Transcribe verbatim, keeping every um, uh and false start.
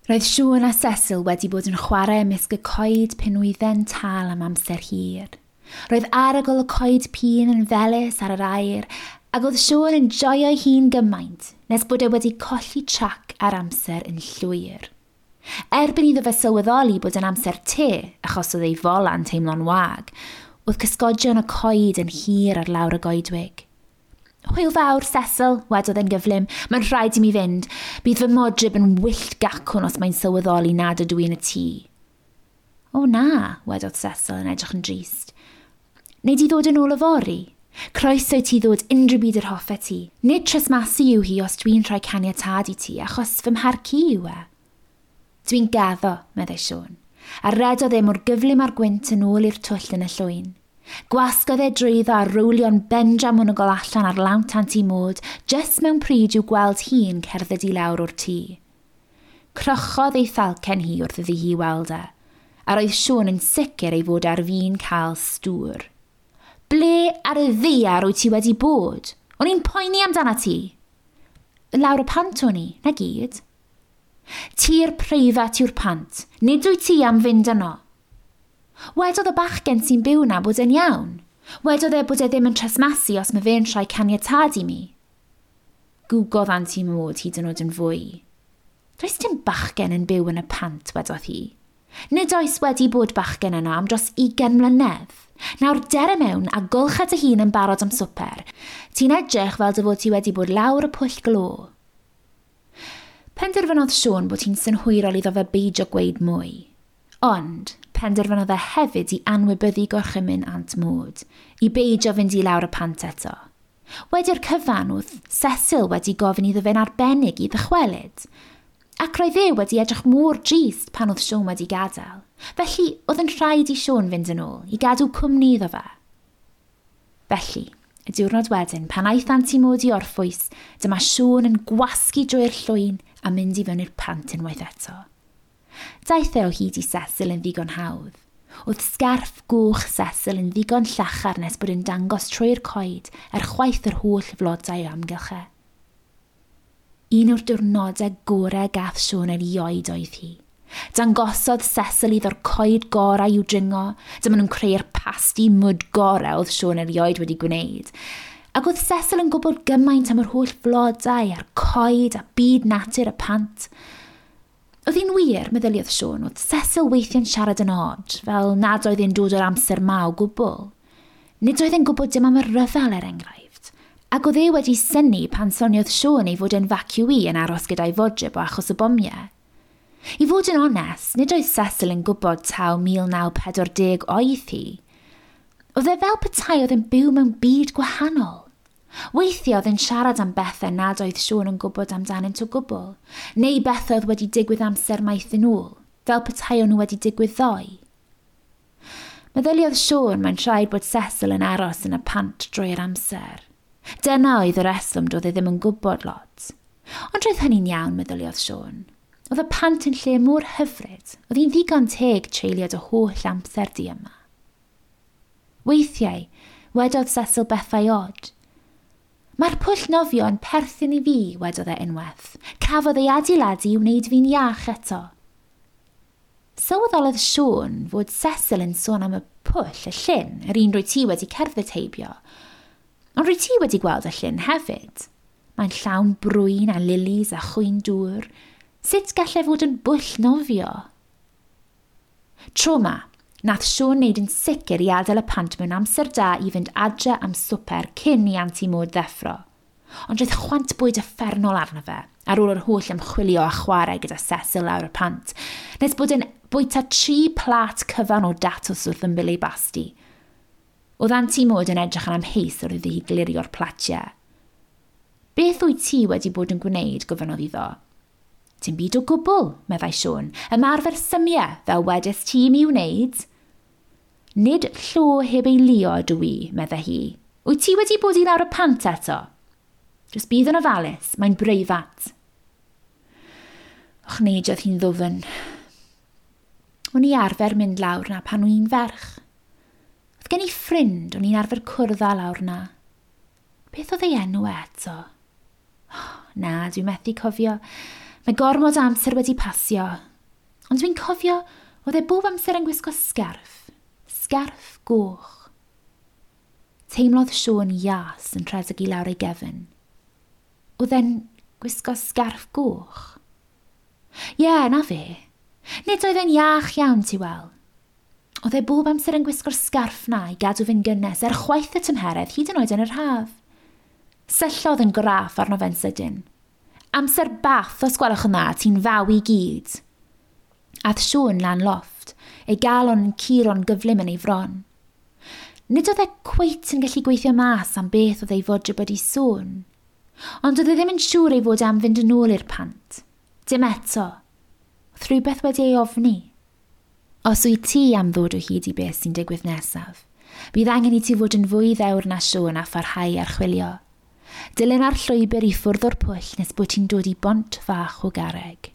Roedd Siôn a Cecil wedi bod yn chwarae ymysg y coed pinwydden tal am amser hir. Roedd arogl y coed pîn yn felys ar yr aer, ac oedd Siôn yn joio'i hun gymaint nes bod e wedi colli trac ar amser yn llwyr. Erbyn iddo fe sylweddoli bod yn amser te, achos oedd ei fola'n teimlo'n wag, oedd cysgodion y coed yn hir ar lawr y goedwig. "Hwyl fawr, Cecil," wedodd e'n gyflym. "Mae'n rhaid i mi fynd. Bydd fy modryb yn wyllt gacwn os mae'n sylweddoli nad ydw i yn y tŷ." "O na," wedodd Cecil yn edrych yn drist. "Nei di ddod yn ôl yfory? Croeso i ti ddod unrhyw bryd yr hoffet ti. Nid tresmasu yw hi os dwi'n rhoi caniatâd i ti, achos fy mharc i yw e." "Dwi'n gaddo," meddai Siôn, a redodd e mor gyflym â'r gwynt yn ôl i'r twll yn y llwyn. Gwasgodd e drwyddo a rowlio'n bendramwnwgl allan ar lawnt Anti Maud, jyst mewn pryd i'w gweld hi'n cerdded i lawr o'r tŷ. Crochodd ei thalcen hi wrth iddi hi weld e, a roedd Siôn yn sicr ei fod ar fin cael stŵr. "Ble ar y ddaear wyt ti wedi bod? O'n i'n poeni amdana ti." "Lawr y pant o'n i, na gyd." "Tir preifat yw'r pant. Nid wyt ti am fynd yno." "Wedodd y bachgen sy'n byw na bod e'n iawn. Wedodd e bod e ddim yn tresmasu os mae fe'n rhoi caniatâd i mi." Gwgodd Anti Maud hyd yn oed yn fwy. "Does dim bachgen yn byw yn y pant," wedodd hi. "Nid oes wedi bod bachgen yno am dros ugain mlynedd. Nawr dere mewn a golcha dy hun yn barod am swper. Ti'n edrych fel dy fod ti wedi bod lawr y pwll glo." Penderfynodd Siôn bod hi'n synhwyrol iddo fe beidio gweud mwy. Ond penderfynodd e hefyd i anwybyddu gorchymyn Aunt Maud, i beidio fynd i lawr y pant eto. Wedi'r cyfan, oedd Cecil wedi gofyn iddo fe'n arbennig i ddychwelyd. Ac roedd e wedi edrych mor drist pan oedd Siôn wedi gadael. Felly, oedd yn rhaid i Siôn fynd yn ôl, i gadw cwmni iddo fe. Felly, y diwrnod wedyn, pan aeth Anti Maud i orffwys, dyma Siôn yn gwasgu drwy'r llwyn a mynd i fewn i'r pant unwaith eto. Daeth e o hyd i Cecil yn ddigon hawdd. Oedd sgarff goch Cecil yn ddigon llachar nes bod yn dangos trwy'r coed er chwaith yr holl flodau o amgylch e. Un o'r diwrnodau gorau gath Siôn erioed oedd hi. Dangosodd Cecil iddo'r coed gorau i'w dringo, dyma nhw'n creu'r pasti mwd gorau oedd Siôn erioed wedi gwneud. Ac oedd Cecil yn gwybod gymaint am yr holl flodau a'r coed a byd natur y pant. Oedd hi'n wir, meddyliodd Siôn, oedd Cecil weithiau'n siarad yn od, fel nad oedd e'n dod o'r amser ma o gwbl. Nid oedd e'n gwybod dim am y rhyfel, er enghraifft. Ac oedd e wedi synnu pan soniodd Siôn ei fod e'n evacuee yn aros gyda'i fodryb o achos y bomiau. I fod yn onest, nid oedd Cecil yn gwybod taw mil naw pedwar dim oedd hi. Oedd e fel petai oedd yn byw mewn byd gwahanol. Weithiau oedd yn siarad am bethau nad oedd Siôn yn gwybod amdanynt o gwbl, neu bethau oedd wedi digwydd amser maith yn ôl, fel petai o'n nhw wedi digwydd ddoe. Meddyliodd Siôn mae'n rhaid bod Cecil yn aros yn y pant drwy'r amser. Dyna oedd y reswm doedd e ddim yn gwybod lot. Ond roedd hynny'n iawn, meddyliodd Siôn. Oedd y pant yn lle mor hyfryd, oedd hi'n ddigon teg treulio dy holl amser di yma. Weithiau, wedodd Cecil bethau od. "Mae'r pwll nofio yn perthyn i fi," wedodd e unwaith. "Cafodd ei adeiladu i wneud fi'n iach eto." Sylweddolodd Siôn fod Cecil yn sôn am y pwll, y llyn, yr un rwy ti wedi cerdded heibio. Ond rwy ti wedi gweld y llyn hefyd. Mae'n llawn brwyn a lilis a chwyn dŵr. Sut gallai fod yn bwll nofio? Tro ma, nath Siôn wneud yn sicr i adael y pant mewn amser da i fynd adre am swper cyn i Anti Maud ddeffro. Ond roedd chwant bwyd uffernol arno fe, ar ôl yr holl ymchwilio a chwarae gyda Cecil lawr y pant, nes bod yn bwyta tri plat cyfan o datws wrth ymyl ei basti. Oedd Anti Maud yn edrych yn amheus wrth iddi hi glirio'r platiau. "Beth wyt ti wedi bod yn gwneud?" gofynnodd iddo. "Dim byd o gwbl," meddai Siôn. "Ymarfer symiau, fel wedes ti i mi wneud." "Nid llo heb ei lio ydw i," meddai hi. "Wyt ti wedi bod i lawr y pant eto? Jyst bydd yn ofalus, mae'n breifat." Ochneidiodd hi'n ddwfn. "O'n i arfer mynd lawr na pan o'n i'n ferch. Oedd gen i ffrind o'n i'n arfer cwrdd â lawr na. Beth oedd ei enw eto? Oh, na, dwi'n methu cofio. Mae gormod o amser wedi pasio, ond dwi'n cofio oedd e bob amser yn gwisgo sgarff. Sgarff goch. Teimlodd Siôn ias yn rhedeg i lawr ei gefn. Oedd e'n gwisgo sgarff goch? Ie, yeah, na fe. Nid oedd e'n iach iawn, ti weld. Oedd e bob amser yn gwisgo'r sgarff na i gadw fe'n gynnes er chwaith y tymheredd hyd yn oed yn yr haf. Syllodd yn graff arno fe'n sydyn. Amser bath os gwelwch yn dda, ti'n faw i gyd. Ath Siôn lan lofft, ei galon yn curo'n gyflym yn ei fron. Nid oedd e cweit yn gallu gweithio mas am beth oedd ei fodryb wedi sôn, ond oedd e ddim yn siŵr ei fod am fynd yn ôl i'r pant. Dim eto. Oedd rhywbeth wedi ei ofni. Os wyt ti am ddod o hyd i beth sy'n digwydd nesaf, bydd angen i ti fod yn fwy ddewr na Siôn a pharhau archwilio. Dilyn ar llwybr i ffwrdd o'r pwll nes bod ti'n dod i bont fach o garreg.